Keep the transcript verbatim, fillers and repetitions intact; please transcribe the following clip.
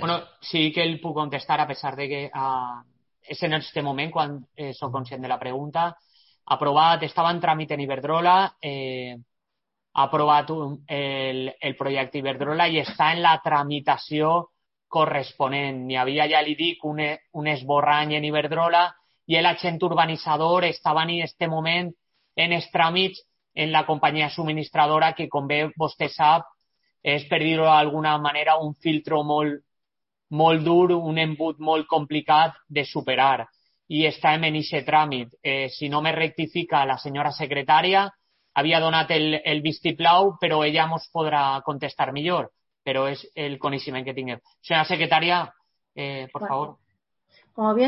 Bueno, sí que el puc contestar, a pesar de que uh, és en este moment quan eh, soc conscient de la pregunta. Aprovat, estava en tràmit en Iberdrola, eh, ha aprovat un, el, el projecte Iberdrola i està en la tramitació corresponent. Hi havia, ja li dic, un, un esborrany en Iberdrola i l'agent urbanitzador estava en aquest moment en els tràmits en la companyia subministradora que, com bé vostè sap, és, per dir-ho d'alguna manera, un filtro molt, molt dur, un embut molt complicat de superar. I estem en aquest tràmit. Eh, si no me rectifica la senyora secretària, havia donat el, el vistiplau, però ella ens podrà contestar millor, però és el coneixement que tinguem. Senyora secretària, eh, por favor. Como bien